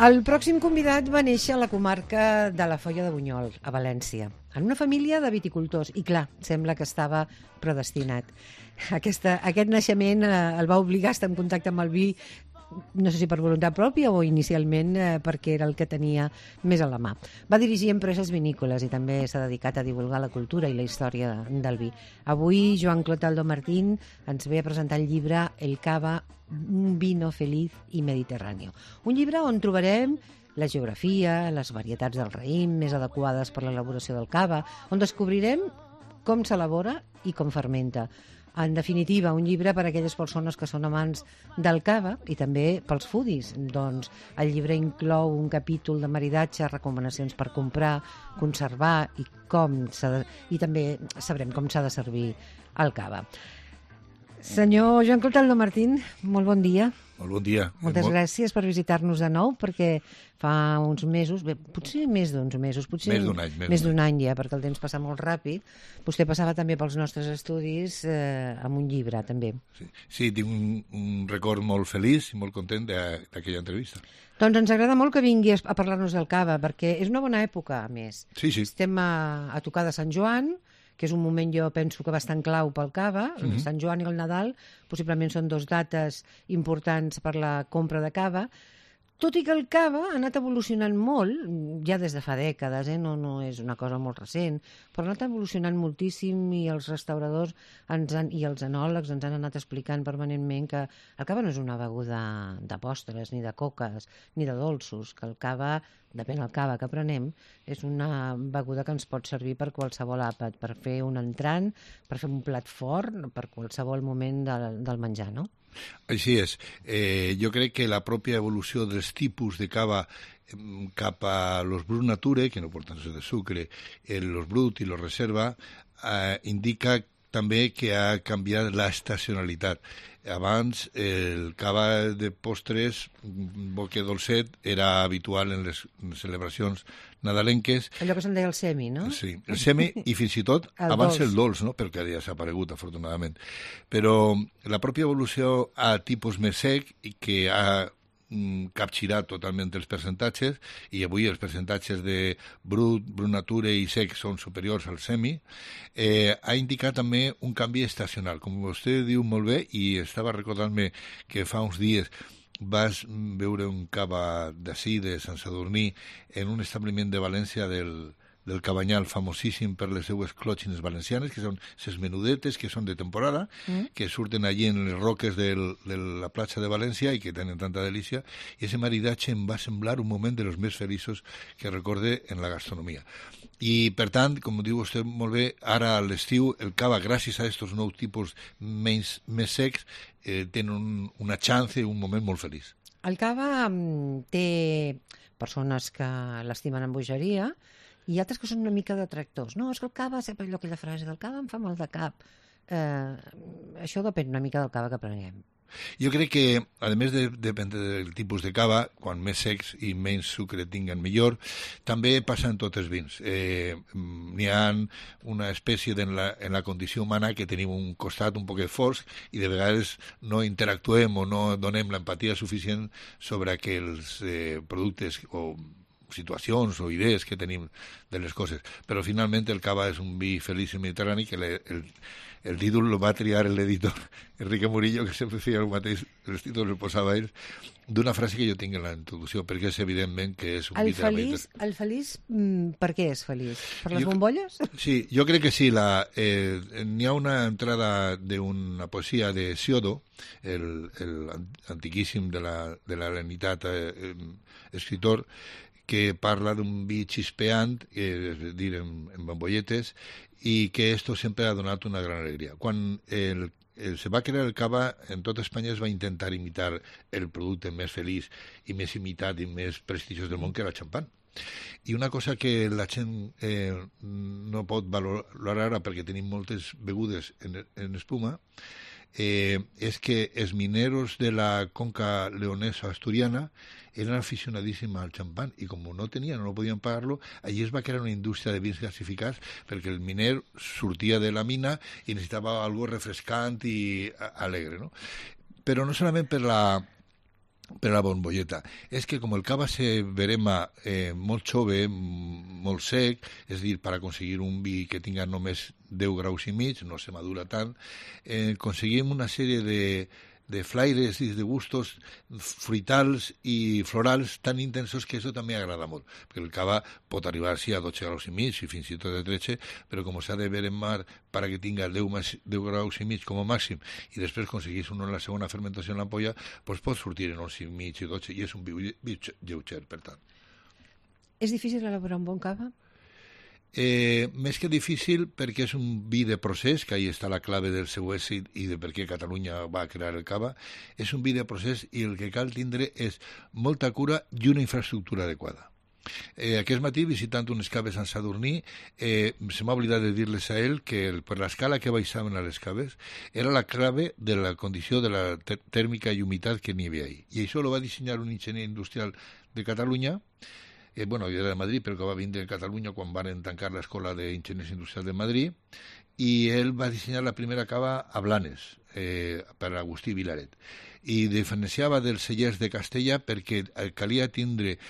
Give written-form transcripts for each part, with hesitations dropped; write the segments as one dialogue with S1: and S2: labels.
S1: El pròxim convidat va néixer a la comarca de la Foia de Bunyol, a València, en una família de viticultors. I clar, sembla que estava predestinat. Aquest naixement el va obligar a estar en contacte amb el vi, no sé si per voluntat pròpia o inicialment perquè era el que tenia més a la mà. Va dirigir empreses vinícoles i també s'ha dedicat a divulgar la cultura i la història del vi. Avui Joan Clotaldo Martín ens ve a presentar el llibre El Cava, un vino feliz i mediterráneo. Un llibre on trobarem la geografia, les varietats del raïm més adequades per l'elaboració del cava, on descobrirem com s'elabora i com fermenta. En definitiva, un llibre per a aquelles persones que són amants del cava i també pels foodies. Doncs el llibre inclou un capítol de maridatge, recomanacions per comprar, conservar i també sabrem com s'ha de servir el cava. Senyor Joan Clotaldo Martín, molt bon dia.
S2: Molt bon dia.
S1: Moltes gràcies per visitar-nos de nou, perquè fa uns mesos, potser més d'uns mesos, potser més d'un any ja, perquè el temps passa molt ràpid. Vostè passava també pels nostres estudis amb un llibre, també.
S2: Sí, tinc un record molt feliç i molt content d'aquella entrevista.
S1: Doncs ens agrada molt que vingui a parlar-nos del cava, perquè és una bona època, a més.
S2: Sí.
S1: Estem a tocar de Sant Joan, que és un moment, jo penso, que bastant clau pel cava. Sant Joan i el Nadal possiblement són dos dates importants per la compra de cava, tot i que el cava ha anat evolucionant molt, ja des de fa dècades, no és una cosa molt recent, però ha anat evolucionant moltíssim i els restauradors i els enòlegs ens han anat explicant permanentment que el cava no és una beguda de postres, ni de coques, ni de dolços, que el cava, depèn del cava que prenem, és una beguda que ens pot servir per qualsevol àpat, per fer un entrant, per fer un plat fort, per qualsevol moment del menjar, no?
S2: Així és. Jo crec que la pròpia evolució dels tipus de cava cap a los Brut Nature, que no porten de sucre, los Brut i los Reserva, indica també que ha canviat la estacionalitat. Abans el cava de postres, boque dolcet, era habitual en les celebracions nadalenques.
S1: Allò que se'n deia el semi, no?
S2: Sí, el semi i fins i tot abans el dolç, no? Perquè ja s'ha aparegut, afortunadament. Però la pròpia evolució a tipus més sec i que ha capgirat totalment els percentatges, i avui els percentatges de brut nature i sec són superiors al semi, ha indicat també un canvi estacional. Com vostè diu molt bé, i estava recordant-me que fa uns dies vas veure un cava d'ací, de Sant Sadurní, en un establiment de València del Cabanyal, famosíssim per les seues clòtxines valencianes, que són ses menudetes, que són de temporada, que surten allí en les roques de la platja de València i que tenen tanta delícia, i aquest maridatge em va semblar un moment de los més feliços que recorde en la gastronomia. I, per tant, com diu vostè molt bé, ara a l'estiu el cava, gràcies a aquests nous tipus més secs, tenen una chance, un moment molt feliç.
S1: El cava té persones que l'estimen amb bogeria i altres que són una mica detractors. No, és que el cava, sempre allò, aquella frase del cava em fa mal de cap. Això depèn una mica del cava que prenguem.
S2: Jo crec que, a més depèn del tipus de cava, quan més secs i menys sucre tinguen millor, també passa en tots els vins. N'hi ha una espècie en la condició humana que tenim un costat un poquet fosc i de vegades no interactuem o no donem l'empatia suficient sobre aquells productes o situacions o idees que tenim de les coses. Però finalment el cava és un vi feliç i mediterrani que el títol el va triar l'editor Enrique Murillo, que sempre feia el mateix, els títols el posava ell, d'una frase que jo tinc en la introducció, perquè és evidentment que és un vi de la mediterrània.
S1: El feliç, per què és feliç? Per les bombolles? Sí,
S2: jo crec que sí. N'hi ha una entrada d'una poesia de Siodo, el antiquíssim de l'helenitat escritor, que parla d'un vi xispeant, és a dir, en bombolletes, i que esto sempre ha donat una gran alegria. Quan se va crear el cava, en tot Espanya es va intentar imitar el producte més feliç i més imitat i més prestigiós del món, que era el xampan. I una cosa que la gent no pot valorar ara, perquè tenim moltes begudes en espuma, és que els mineros de la conca leonesa-asturiana eren aficionadíssims al xampany i com no podien pagar-lo, allí es va crear una indústria de vins gasificats perquè el miner sortia de la mina i necessitava algo refrescant i alegre, no? Però no solament per la bombolleta. És que com el cava se verema molt jove, molt sec, és a dir, per aconseguir un vi que tinga només 10 graus i mig, no se madura tant, aconseguim una sèrie de flaires i de gustos fruitals i florals tan intensos que això també agrada molt, perquè el cava pot arribar sí, a 12 graus i mig i fins i tot a 13, però com s'ha de veremar para que tinga 10 graus i mig com a màxim i després aconseguís uno en la segona fermentació en l'ampolla, doncs pot sortir en 11 i mig i 12 i és un vi lleuger, per tant.
S1: És difícil elaborar un bon cava?
S2: Més que difícil perquè és un vi de procés, que ahí està la clave del seu èxit i de per què Catalunya va crear el cava, és un vi de procés i el que cal tindre és molta cura i una infraestructura adequada. Aquest matí, visitant unes caves a Sant Sadurní, se m'ha oblidat de dir-les a ell que per l'escala que baixaven a les caves era la clave de la condició de la tèrmica i humitat que n'hi havia ahí. I això ho va dissenyar un enginyer industrial de Catalunya, jo era de Madrid, però que va vindre a Catalunya quan van tancar l'escola d'enginyers industrials de Madrid, i ell va dissenyar la primera cava a Blanes, per Agustí Vilaret, i diferenciava dels cellers de Castella perquè calia tindre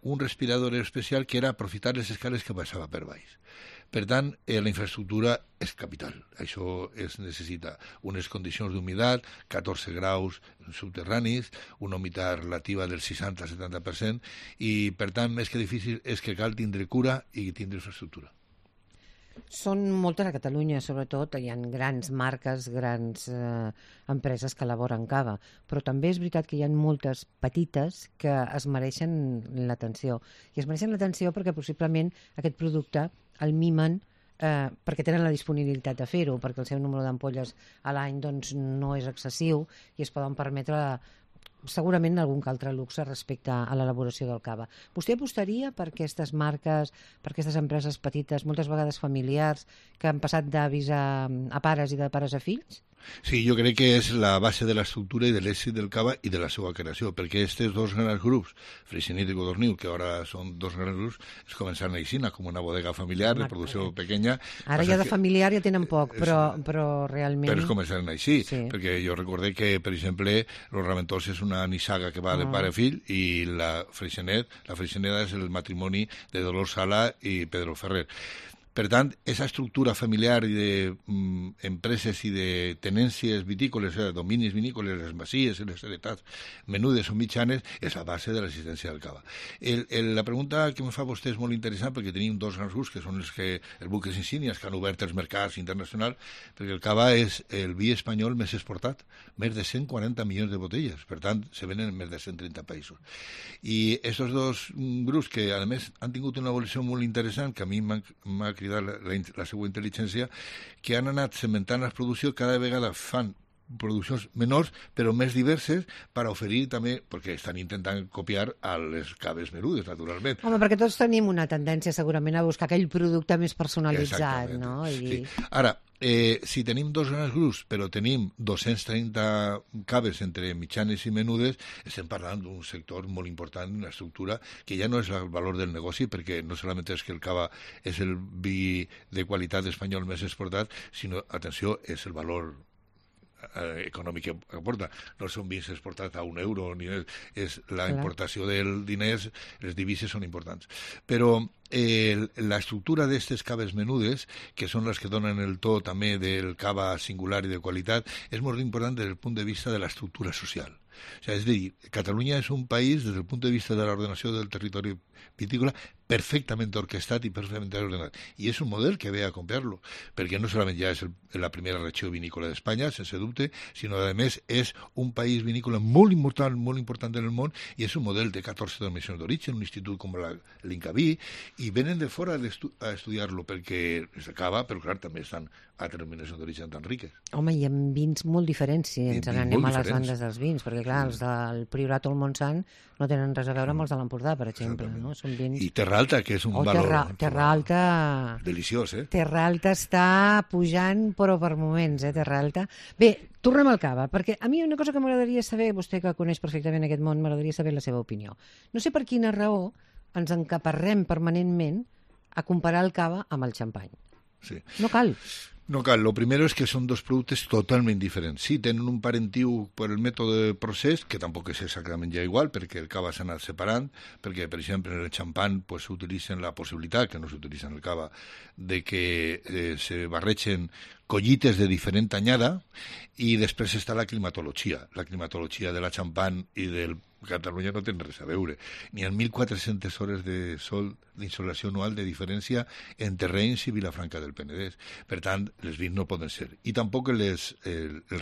S2: un respirador especial que era aprofitar les escales que passava per baix. Per tant, la infraestructura és capital. Això es necessita unes condicions d'humitat, 14 graus subterranis, una humitat relativa del 60-70%, i, per tant, més que difícil és que cal tindre cura i tindre infraestructura.
S1: Són moltes a Catalunya, sobretot. Hi ha grans marques, grans empreses que elaboren cava, però també és veritat que hi ha moltes petites que es mereixen l'atenció. I es mereixen l'atenció perquè possiblement aquest producte el mimen perquè tenen la disponibilitat de fer-ho, perquè el seu número d'ampolles a l'any doncs, no és excessiu i es poden permetre segurament algun altre luxe respecte a l'elaboració del cava. Vostè apostaria per aquestes marques, per aquestes empreses petites, moltes vegades familiars, que han passat d'avis a pares i de pares a fills?
S2: Sí, jo crec que és la base de l'estructura i de l'èxit del cava i de la seva creació, perquè aquests dos grans grups, Freixenet i Codorniu, que ara són dos grans grups, es començaran a Ixina com una bodega familiar de producció pequeña.
S1: Ara ja de familiar ja tenen poc, però realment...
S2: Però es començaran així,
S1: sí.
S2: Perquè jo recordé que, per exemple, Los Raventols és una nissaga que va de pare a fill i la Freixeneda és el matrimoni de Dolors Sala i Pedro Ferrer. Per tant, aquesta estructura familiar i d'empreses i de tenències vitícoles, dominis vinícoles, les masies, les heretats menudes o mitjanes, és la base de l'existència del cava. La pregunta que em fa vostè és molt interessant perquè tenim dos grans grups que són els buques insígnies que han obert els mercats internacionals, perquè el cava és el vi espanyol més exportat, més de 140 milions de botelles, per tant, se venen en més de 130 països. I aquests dos grups que, a més, han tingut una evolució molt interessant, que a mi m'ha cridat la seva intel·ligència, que han anat cementant la producció, cada vegada fan produccions menors però més diverses per oferir també, perquè estan intentant copiar a les caves menudes, naturalment.
S1: Home, perquè tots tenim una tendència segurament a buscar aquell producte més personalitzat, no?
S2: Sí. Ara, si tenim dos grans grups però tenim 230 caves entre mitjanes i menudes, estem parlant d'un sector molt important, una estructura que ja no és el valor del negoci, perquè no solament és que el cava és el vi de qualitat espanyol més exportat, sinó, atenció, és el valor econòmic que aporta. No són vins exportats a €1, ni és la importació dels diners, les divises són importants. Però l'estructura d'aquestes caves menudes, que són les que donen el to també del cava singular i de qualitat, és molt important des del punt de vista de l'estructura social. O sea, és a dir, Catalunya és un país, des del punt de vista de l'ordenació del territori vitícola, perfectament orquestat i perfectament ordenat. I és un model que ve a copiar-lo, perquè no solament ja és la primera regió vinícola d'Espanya, sense dubte, sinó, a més, és un país vinícola molt important en el món, i és un model de 14 denominacions d'origen, un institut com l'Incaví, i venen de fora a estudiar-lo perquè s'acaba, però clar, també estan altres denominacions d'origen tan riques.
S1: Home, hi ha vins molt diferents, si ens anem a les bandes dels vins, perquè clar, els del Priorat o el Montsant no tenen res a veure amb els de l'Empordà, per exemple, no? Són vins...
S2: I Terrat Terra Alta, que és un valor...
S1: Terra Alta...
S2: Deliciós,
S1: Terra Alta està pujant, però per moments, Terra Alta. Bé, tornem al cava, perquè a mi una cosa que m'agradaria saber, vostè que coneix perfectament aquest món, m'agradaria saber la seva opinió. No sé per quina raó ens encaparrem permanentment a comparar el cava amb el xampany.
S2: Sí.
S1: No cal.
S2: No cal. Lo primero es que son dos productos totalment diferents. Sí, tenen un parentiu per el mètode de procés, que tampoc és exactament ja igual, perquè el cava s'ha anat separant, perquè, per exemple, en el xampany pues, s'utilitzen la possibilitat, que no s'utilitza en el cava, de que se barregen collites de diferent anyada, i després està la climatologia. La climatologia de la xampany i del Catalunya no tenen res a veure. N'hi ha 1.400 hores de sol d'insolació anual de diferència entre Reims i Vilafranca del Penedès. Per tant, les vins no poden ser. I tampoc els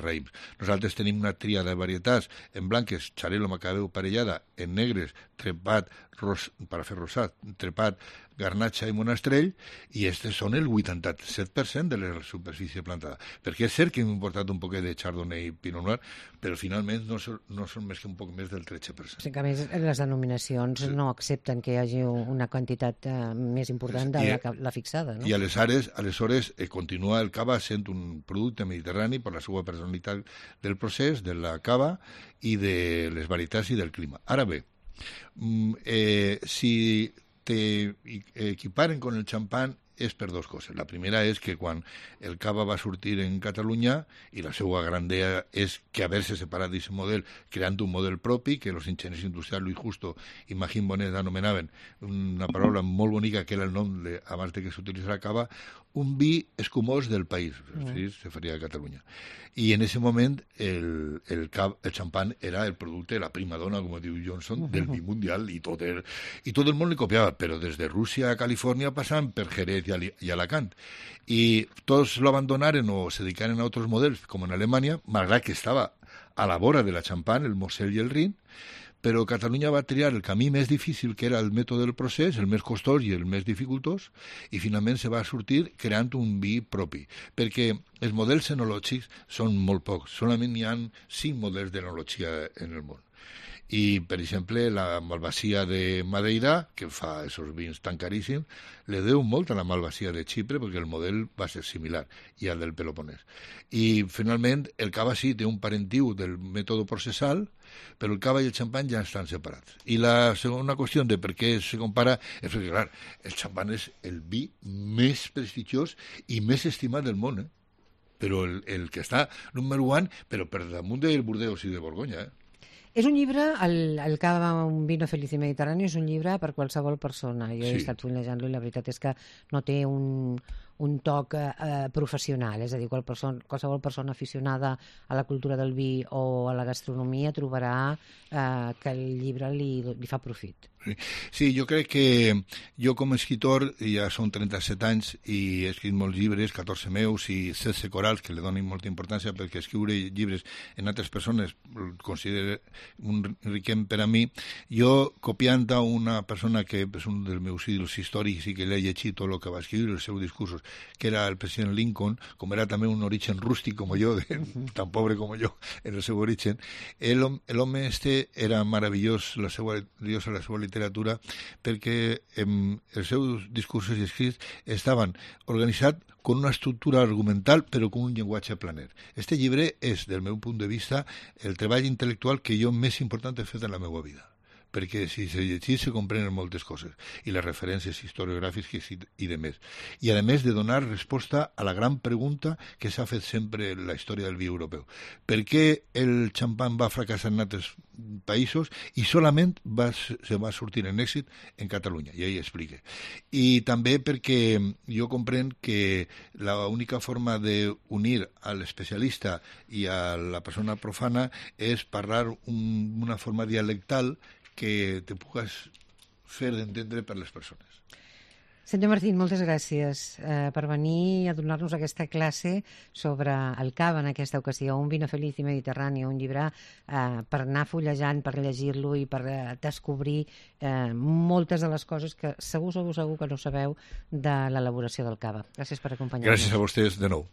S2: raïms. Nosaltres tenim una tria de varietats en blanques, xarel·lo macabeu parellada, en negres, trepat, per fer rosat, trepat, garnatxa i monastrell, i aquests són el 87% de la superfície plantada. Perquè és cert que hem importat un poquet de chardonnay i pinot noir, però finalment no són més que un poc més del 13%.
S1: O sigui que, a més, les denominacions no accepten que hi hagi una quantitat més important de la fixada, no?
S2: I aleshores continua el cava sent un producte mediterrani per la seva personalitat del procés, de la cava i de les varietats i del clima. Ara bé, si t'equiparen con el xampany és per dues coses. La primera és que quan el cava va sortir en Catalunya, i la seva gran idea és que haver-se separat d'aquest model, creant un model propi, que els enginyers industrials Luis Justo i Magín Bonet anomenaven una paraula molt bonica, que era el nom abans de que s'utilitzés la cava, un vi escumós del país, sí, se faria a Catalunya. I en aquest moment el xampany era el producte, la prima dona, com diu Johnson, del vi mundial, i tot el món li copiava, però des de Rússia a Califòrnia passant per Jerez i Alacant. I tots lo abandonaren o se dedicaren a altres models, com en Alemanya, malgrat que estava a la vora de la xampany, el Mosel i el Rin, però Catalunya va triar el camí més difícil, que era el mètode del procés, el més costós i el més dificultós, i finalment se va sortir creant un vi propi, perquè els models enològics són molt pocs, solament hi ha 5 models d'enologia en el món. I, per exemple, la Malvasia de Madeira, que fa aquests vins tan caríssims, le deu molt a la Malvasia de Xipre, perquè el model va ser similar, i al del Peloponès. I, finalment, el cava sí té un parentiu del mètode processal, però el cava i el xampany ja estan separats. I la segona qüestió de per què se compara és perquè, clar, el xampany és el vi més prestigiós i més estimat del món, però el que està número 1, però per damunt del Burdeos i de Borgonya,
S1: És un llibre, el cava, un vino feliz i mediterrani, és un llibre per qualsevol persona. Jo he estat fulejant-lo i la veritat és que no té un toc professional, és a dir, qualsevol persona aficionada a la cultura del vi o a la gastronomia trobarà que el llibre li fa profit.
S2: Sí, jo crec que jo com a escritor ja són 37 anys i he escrit molts llibres, 14 meus i 16 corals, que li donen molta importància perquè escriure llibres en altres persones el considero un riquem per a mi. Jo, copiant a una persona que és un dels meus ídols històrics i que l'he llegit tot el que va escriure, els seus discursos, que era el president Lincoln, com era també un origen rústic com jo, tan pobre com jo en el seu origen, l'home este era meravellós, la seva literatura, perquè els seus discursos i escrits estaven organitzats con una estructura argumental, però con un llenguatge planer. Este llibre és, del meu punt de vista, el treball intel·lectual que jo més important he fet en la meva vida, perquè si se llegís se comprenen moltes coses, i les referències historiogràfiques i de més. I a més de donar resposta a la gran pregunta que s'ha fet sempre en la història del vi europeu. Per què el xampany va fracassar en altres països i solament se va sortir en èxit en Catalunya, i ell explica. I també perquè jo comprenc que l'única forma d'unir a l'especialista i a la persona profana és parlar una forma dialectal que te pugues fer d'entendre per les persones.
S1: Senyor Martín, moltes gràcies per venir a donar-nos aquesta classe sobre el cava en aquesta ocasió, un vino feliz i mediterrani, un llibre per anar fullejant, per llegir-lo i per descobrir moltes de les coses que segur que no sabeu de l'elaboració del cava. Gràcies per acompanyar-nos.
S2: Gràcies a vostès de nou.